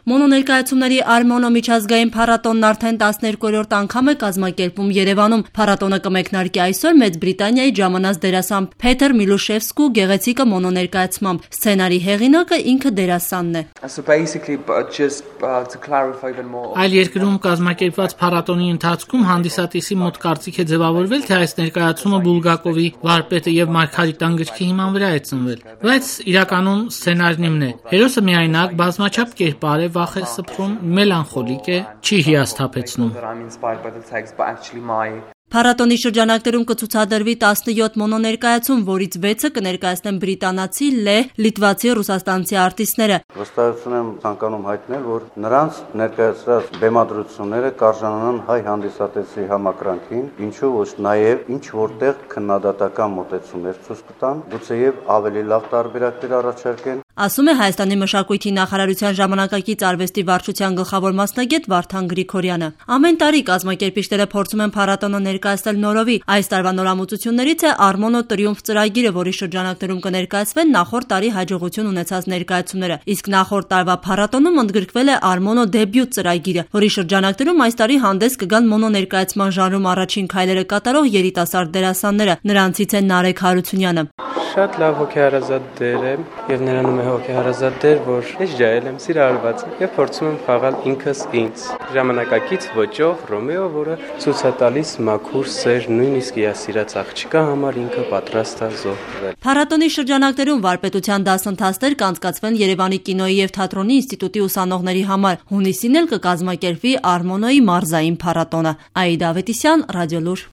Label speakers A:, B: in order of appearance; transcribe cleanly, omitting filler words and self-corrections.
A: Մոնոներկայացումների Արմոնո միջազգային փառատոնն արդեն 12-րդ անգամ է կազմակերպվում Երևանում։ Փառատոնը կմեկնարկի այսօր Մեծ Բրիտանիայի ժամանած դերասան Փեթեր Միլուշևսկու գեղեցիկը մոնոներկայացմամբ։ Սցենարի հեղինակը ինքը դերասանն է։
B: Այլ երկրում կազմակերպված փառատոնի ընթացքում հանդիսատեսի մոտ կարծիք է ձևավորվել, թե այս ներկայացումը Բուլգակովի վարպետը եւ Մարգարիտան գրքի հիման վրա է ծնվել։ Բայց իրականում սցենարն իմն է։ Հերոսը միայնակ, բազմաչափ կերպար է, վախ է սփռում, մելանխոլիկ է, չի հիասթափեցնում։
A: Փառատոնի շրջանակներում կցուցադրվի 17 մոնոներկայացում, որից 6-ը կներկայացնեն բրիտանացի, լեհ, լիտվացի, ռուսաստանցի արտիստները։
C: Վստահություն եմ ցանկանում հայտնել, որ նրանց ներկայացրած բեմադրությունները կարժանանան հայ հանդիսատեսի համակրանքին, ինչու ոչ նաև ինչ որտեղ քննադատական մոտեցումներ ցույց կտան, գուցեև ավելի լավ տարբերակներ առաջարկեն։
A: Ասում է Հայաստանի մշակույթի նախարարության ժամանակակից արվեստի վարչության գլխավոր մասնագետ Վարդան Գրիգորյանը։ Ամեն տարի կազմակերպիչները փորձում են փառատոնը ներկայացնել նորովի։ Այս տարվա նորամուծություններից է Արմոնո Տրիումֆ ծրագիրը, որի շրջանակներում կներկայացվեն նախորդ տարի հաջողություն ունեցած ներկայացումները։ Իսկ նախորդ տարվա փառատոնում ընդգրկվել է Արմոնո դեբյուտ ծրագիրը, որի շրջանակներում այս տարի հանդես կգան մոնոներկայացման ժանրում առաջին քայլերը կատարող երիտասարդ դերասանները։ Նրանցից է Նարեկ Հարությունյանը։
D: Շատ լավ հոգեհարազատ դեր է եւ նրանում է հոգեհարազատ դեր, որ ես ջայել եմ, սիրահարված եւ փորձում եմ խաղալ ինքս ինձ։ Ժամանակակից ոճով Ռոմեո, որը ցույց է տալիս մաքուր սեր, նույնիսկ իասիրած աղջկա համար ինքը պատրաստ է զոհվել։
A: Փառատոնի շրջանակներում վարպետության դասընթացներ կանցկացվեն Երևանի կինոյի եւ թատրոնի ինստիտուտի ուսանողների համար։ Հունիսին էլ կկազմակերպվի Արմոնոյի մարզային փառատոնը։ Աիդա Ավետիսյան, Ռադիոլուր։